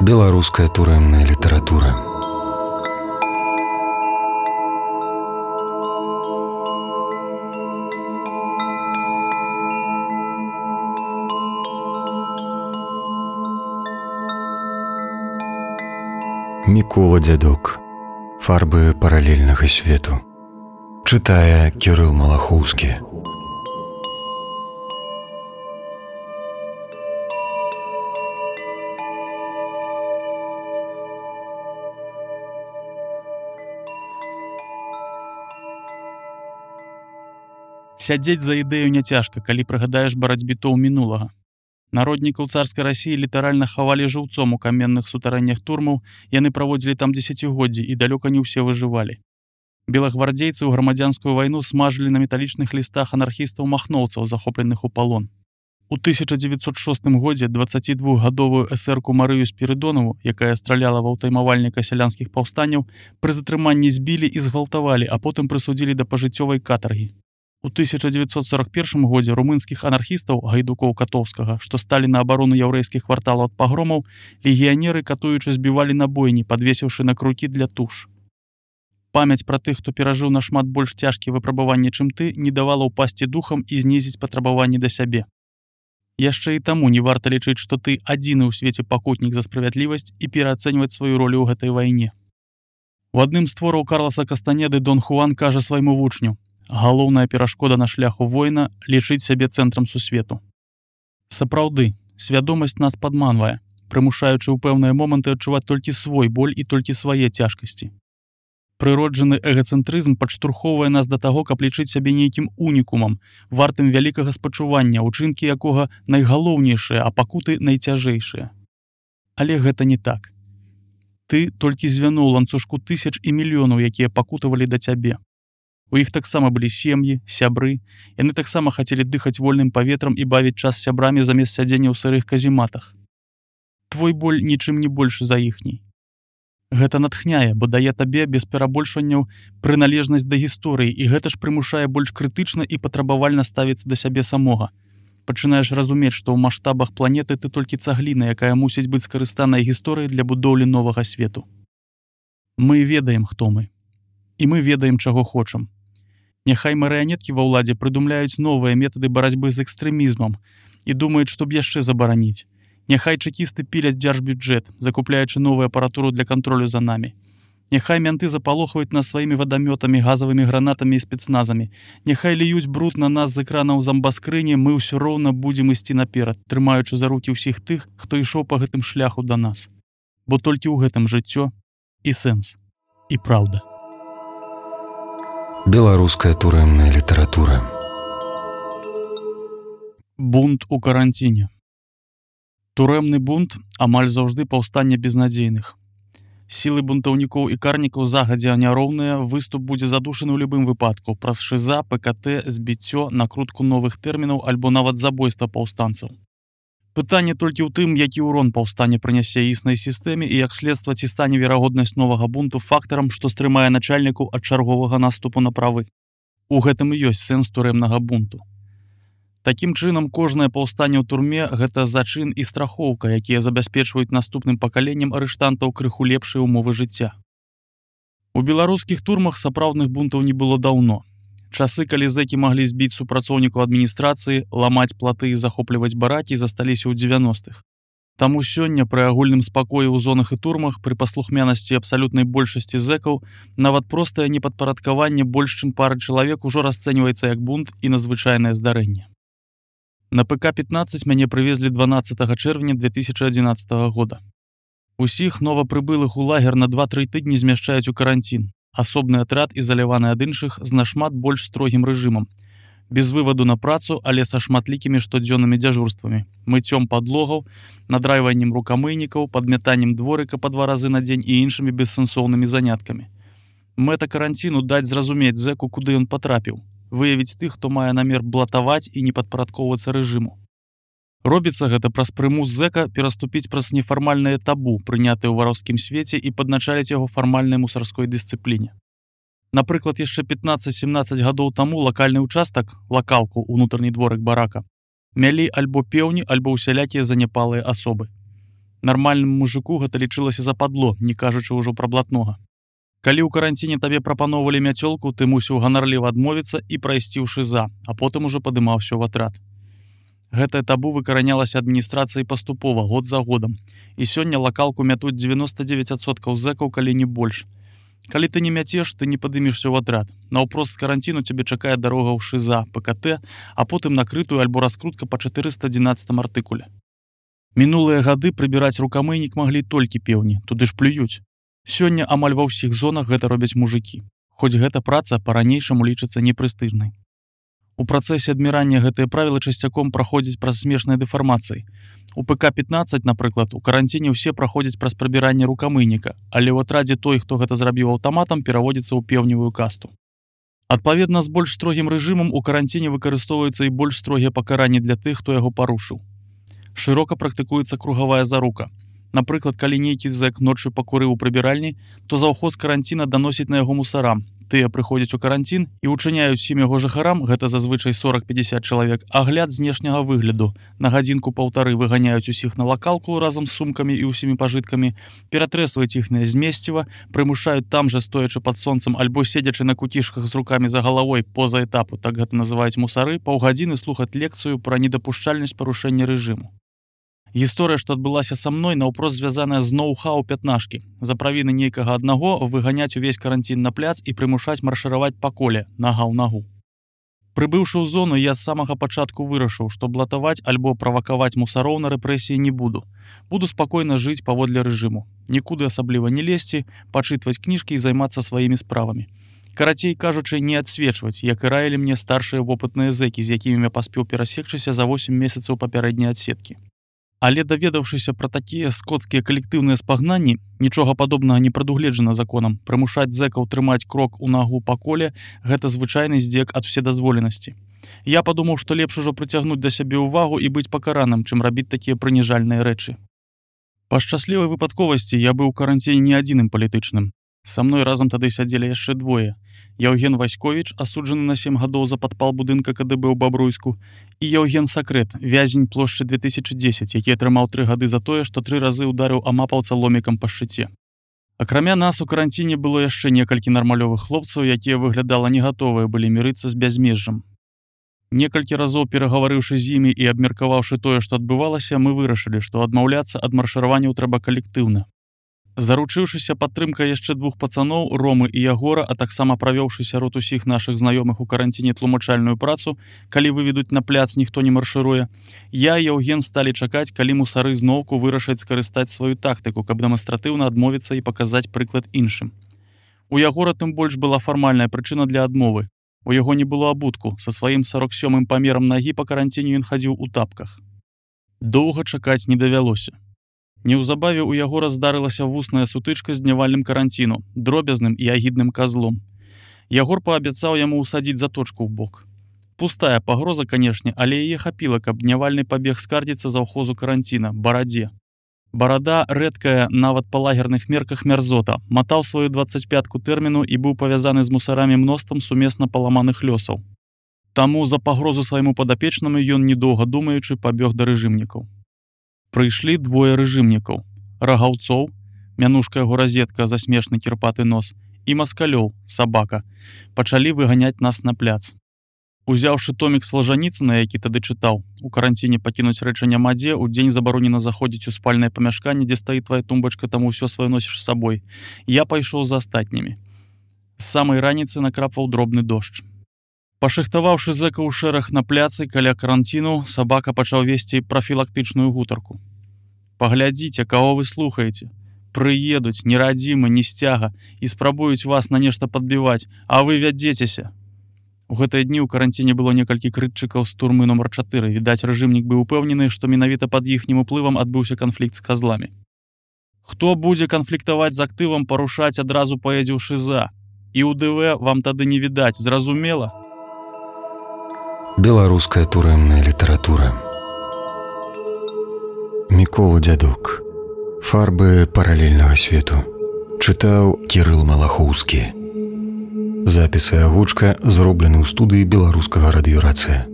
Беларуская турэмная літаратура. Мікола Дзядок. Фарбы паралельнага свету. Чытае Кірыл Малахоўскі. Сядзець за ідэю няцяжка, калі прыгадаеш барацьбітоў мінулага. Народнікаў царскай Расіі літаральна хавалі жыўцом у каменных сутарэннях турмаў, яны праводзілі там дзесяцігоддзі і далёка не ўсе выжывалі. Белагвардзейцы ў грамадзянскую вайну смажылі на металічных лістах анархістаў-махноўцаў, захопленых у палон. У 1906 годзе 22-гадовую эсэрку Марыю Спірыдонаву, якая страляла ва ўтаймавальніка сялянскіх паўстанняў, пры затрыманні збілі і згвалтавалі, а потым прысудзілі да пажыццёвай катаргі. У 1941 годзе румынскіх анархістаў гайдукоў Катоўскага, што сталі на абарону яўрэйскіх кварталаў ад пагромаў, легіянеры катуючы збівалі на бойні, падвесіўшы на крукі для туш. Памяць пра тых, хто перажыў нашмат больш цяжкія выпрабаванні, чым ты, не давала ўпасці духам і знізіць патрабаванні да сябе. Яшчэ і таму не варта лічыць, што ты адзіны ў свеце пакутнік за справядлівасць і пераацэньваць сваю ролю ў гэтай вайне. У адным з твораў Карласа Кастанеды Дон Хуан кажа свайму вучню: галоўная перашкода на шляху воіна — лічыць сябе цэнтрам сусвету. Сапраўды, свядомасць нас падманвае, прымушаючы ў пэўныя моманты адчуваць толькі свой боль і толькі свае цяжкасці. Прыроджаны эгацэнтрызм падштурхоўвае нас да таго, каб лічыць сябе нейкім унікумам, вартым вялікага спачування, учынкі якога найгалоўнейшыя, а пакуты найцяжэйшыя. Але гэта не так. Ты толькі звяно ў ланцужку тысяч і мільёнаў, якія пакутавалі да цябе. У іх таксама былі сем'і, сябры, яны таксама хацелі дыхаць вольным паветрам і бавіць час з сябрамі замест сядзення ў сырых казематах. Твой боль нічым не больш за іхняй. Гэта натхняе, бо дае табе без перабольшванняў прыналежнасць да гісторыі, і гэта ж прымушае больш крытычна і патрабавальна ставіцца да сябе самога. Пачынаеш разумець, што ў маштабах планеты ты толькі цагліна, якая мусіць быць скарыстанай гісторыяй для будоўлі новага свету. Мы ведаем, хто мы. І мы ведаем, чаго хочам. Няхай марыянеткі ва ўладзе прыдумляюць новыя метады барацьбы з экстрэмізмам і думаюць, што б яшчэ забараніць. Няхай чэкісты піляць дзяржбюджэт, закупляючы новую апаратуру для кантролю за намі. Няхай мянты запалохваюць нас сваімі вадамётамі, газавымі гранатамі і спецназамі. Няхай ліюць бруд на нас з экранаў замбаскрыні, мы ўсё роўна будзем ісці наперад, трымаючы за рукі ўсіх тых, хто ішоў па гэтым шляху да нас. Бо толькі ў гэтым жыццё і сэнс, і праўда. Беларуская турэмная літаратура. Бунт у каранціне. Турэмны бунт амаль заўжды паўстанне безнадзейных. Сілы бунтаўнікоў і карнікаў загадзя няроўныя, выступ будзе задушаны ў любым выпадку праз шыза, ПКТ, збіццё, накрутку новых тэрмінаў альбо нават забойства паўстанцаў. Пытанне толькі ў тым, які ўрон паўстане прынясе існай сістэме і як следства ці стане верагоднасць новага бунту фактарам, што стрымае начальніку ад чарговага наступу на правы. У гэтым і ёсць сэнс турэмнага бунту. Такім чынам, кожнае паўстанне ў турме — гэта зачын і страхоўка, якія забяспечваюць наступным пакаленням арыштантаў крыху лепшыя ўмовы жыцця. У беларускіх турмах сапраўдных бунтаў не было даўно. Часы, калі зэкі маглі збіць супрацоўнікаў адміністрацыі, ламаць платы і захопліваць баракі, засталіся ў 90-х. Таму сёння пры агульным спакоі ў зонах і турмах, пры паслухмянасці абсалютнай большасці зэкаў, нават простае непадпарадкаванне больш чым пары чалавек ужо расцэньваецца як бунт і надзвычайнае здарэнне. На ПК-15 мяне прывезлі 12 чэрвеня 2011 года. Усіх новапрыбылых у лагер на 2-3 тыдні змяшчаюць у каранцін. Асобны атрад, ізаляваны ад іншых, з нашмат больш строгім рэжымам. Без вываду на працу, але са шматлікімі штодзённымі дзяжурствамі, мыццём падлогаў, надрайваннем рукамыйнікаў, падмятаннем дворыка па 2 разы на дзень і іншымі бессэнсоўнымі заняткамі. Мэта каранціну — даць зразумець зэку, куды ён патрапіў, выявіць тых, хто мае намер блатаваць і не падпарадкоўвацца рэжыму. Робіцца гэта праз прымус зэка пераступіць праз нефармальнае табу, прынятае ў вараўскім свеце, і падначаліць яго фармальнай мусарской дысцыпліне. Напрыклад, яшчэ 15-17 гадоў таму лакальны ўчастак, лакалку, унутраны дворык барака, мялі альбо пеўні, альбо ўсялякія заняпалыя асобы. Нармальнаму мужику гэта лічылася западло, не кажучы ўжо пра блатнога. Калі ў каранціне табе прапаноўвалі мяцёлку, ты мусіў ганарліва адмовіцца і прайсці ў шыза, а потым ужо падымаўся ў атрад. Гэтае табу выкаранялася адміністрацыяй паступова, год за годам. І сёння лакалку мятуць 99% зэкаў, калі не больш. Калі ты не мяцеш, ты не падымешся ў атрад. Наўпрост з каранціну цябе чакае дарога ў шыза, ПКТ, а потым накрытую альбо раскрутка па 411 артыкуле. Мінулыя гады прыбіраць рукамыйнік маглі толькі пеўні, туды ж плююць. Сёння амаль ва ўсіх зонах гэта робяць мужыкі. Хоць гэта праца па-ранейшаму лічыцца непрэстыжнай. У працэсе адмірання гэтыя правілы часцяком праходзяць праз смешныя дэфармацыі. У ПК-15, напрыклад, у каранціне ўсе праходзяць праз прабіранне рукамыйніка, але ў атрадзе той, хто гэта зрабіў аўтаматам, пераводзіцца ў пеўневую касту. Адпаведна з больш строгім рэжымам у каранціне выкарыстоўваюцца і больш строгія пакаранні для тых, хто яго парушыў. Шырока практыкуецца кругавая зарука. Напрыклад, калі нейкі зэк ноччу пакурыў у прыбіральні, то заўхоз каранціна даносіць на яго мусарам. Тыя прыходзяць у каранцін і ўчыняюць усім яго жыхарам, гэта зазвычай 40-50 чалавек, агляд знешняга выгляду. На гадзінку-паўтары выганяюць усіх на лакалку разам з сумкамі і ўсімі пажыткамі, ператрэсваюць іхняе змесціва, прымушаюць там жа, стоячы пад сонцам альбо седзячы на куцішках з рукамі за галавой поза этапу, так гэта называюць мусары, паўгадзіны слухаць лекцыю пра недапушчальнасць парушэння рэжыму. Гісторыя, што адбылася са мной, наўпрост звязаная з ноу-хау пятнашкі. За правіны нейкага аднаго выганяць увесь каранцін на пляц і прымушаць маршыраваць па коле, нага ў нагу. Прыбыўшы ў зону, я з самага пачатку вырашыў, што блатаваць альбо правакаваць мусароў на рэпрэсіі не буду. Буду спакойна жыць паводле рэжыму. Нікуды асабліва не лезці, пачытваць кніжкі і займацца сваімі справамі. Карацей кажучы, не адсвечваць, як і раілі мне старшыя вопытныя зэкі, з якімі я паспеў перасекчыся за 8 месяцаў папярэдняй адсеткі. Але даведаўшыся пра такія скоцкія калектыўныя спагнанні, нічога падобнага не прадугледжана законам. Прымушаць зэкаў трымаць крок у нагу па коле – гэта звычайны здзек ад уседазволенасці. Я падумаў, што лепш ужо прыцягнуць да сябе ўвагу і быць пакараным, чым рабіць такія прыніжальныя рэчы. Па шчаслівай выпадковасці я быў у каранціне не адзіным палітычным. Са мной разам тады сядзелі яшчэ двое. Яўген Васьковіч, асуджаны на 7 гадоў за падпал будынка КДБ ў Бабруйску, і Яўген Сакрэт, вязень плошчы 2010, які атрымаў 3 гады за тое, што 3 разы ўдарыў амапаўца ломікам па шчыце. Акрамя нас у каранціне было яшчэ некалькі нармалёвых хлопцаў, якія выглядала не гатовыя былі мірыцца з бязмежжам. Некалькі разоў перагаварыўшы з імі і абмеркаваўшы тое, што адбывалася, мы вырашылі, што адмаўляцца ад маршыраванняў трэба калектыўна. Заручыўшыся падтрымкай яшчэ 2 пацаноў, Ромы і Ягора, а таксама правёўшы сярод усіх нашых знаёмых у каранціне тлумачальную працу, калі выведуць на пляц, ніхто не маршыруе, я і Яўген сталі чакаць, калі мусары зноўку вырашаць скарыстаць сваю тактыку, каб дэманстратыўна адмовіцца і паказаць прыклад іншым. У Ягора тым больш была фармальная прычына для адмовы. У яго не было абутку, са сваім 47-м памерам нагі па каранціне ён хадзіў у тапках. Доўга чакаць не давялося. Неўзабаве ў яго раздарылася вусная сутычка з днявальным каранціну, дробязным і агідным казлом. Ягор паабяцаў яму ўсадзіць заточку ў бок. Пустая пагроза, канешне, але яе хапіла, каб днявальны пабег скардзіцца заўхозу каранціна, Барадзе. Барада, рэдкая нават па лагерных мерках мярзота, матаў сваю 25-ку тэрміну і быў павязаны з мусарамі мноствам сумесна паламаных лёсаў. Таму за пагрозу свайму падапечнаму ён, недоўга думаючы, пабег да рэжымнікаў. Прыйшлі 2 рэжымнікаў, Рагаўцоў, мянушка яго разетка за смешны кірпаты нос, і Маскалёў, сабака, пачалі выганяць нас на пляц. Узяўшы томік Слажаніцына, які тады чытаў, у каранціне пакінуць рэчы няма дзе, у дзень забаронена заходзіць у спальнае памяшканне, дзе стаіць твая тумбачка, таму ўсё сваё носіш з сабой. Я пайшоў за астатнімі. З самай раніцы накрапваў дробны дождж. Пашыхтаваўшы зэка ў шэраг на пляцы каля каранціну, сабака пачаў весці прафілактычную гутарку. Паглядзіце, каго вы слухаеце. Прыедуць, нерадзімы, не сцяга, і спрабуюць вас на нешта падбіваць, а вы вядзецеся. У гэтыя дні ў каранціне было некалькі крытчыкаў з турмы номер 4. Відаць, рэжымнік быў упэўнены, што менавіта пад іхнім уплывам адбыўся канфлікт з казламі. Хто будзе канфліктаваць з актывам, парушаць адразу паедзе ў шыза. І ў ДВ вам тады не відаць, зразумела? Беларуская турэмная літаратура. Мікола Дзядок. Фарбы паралельнага свету. Чытаў Кірыл Малахоўскі. Запісы агучка зроблены ў студыі беларускага радыёрацыя.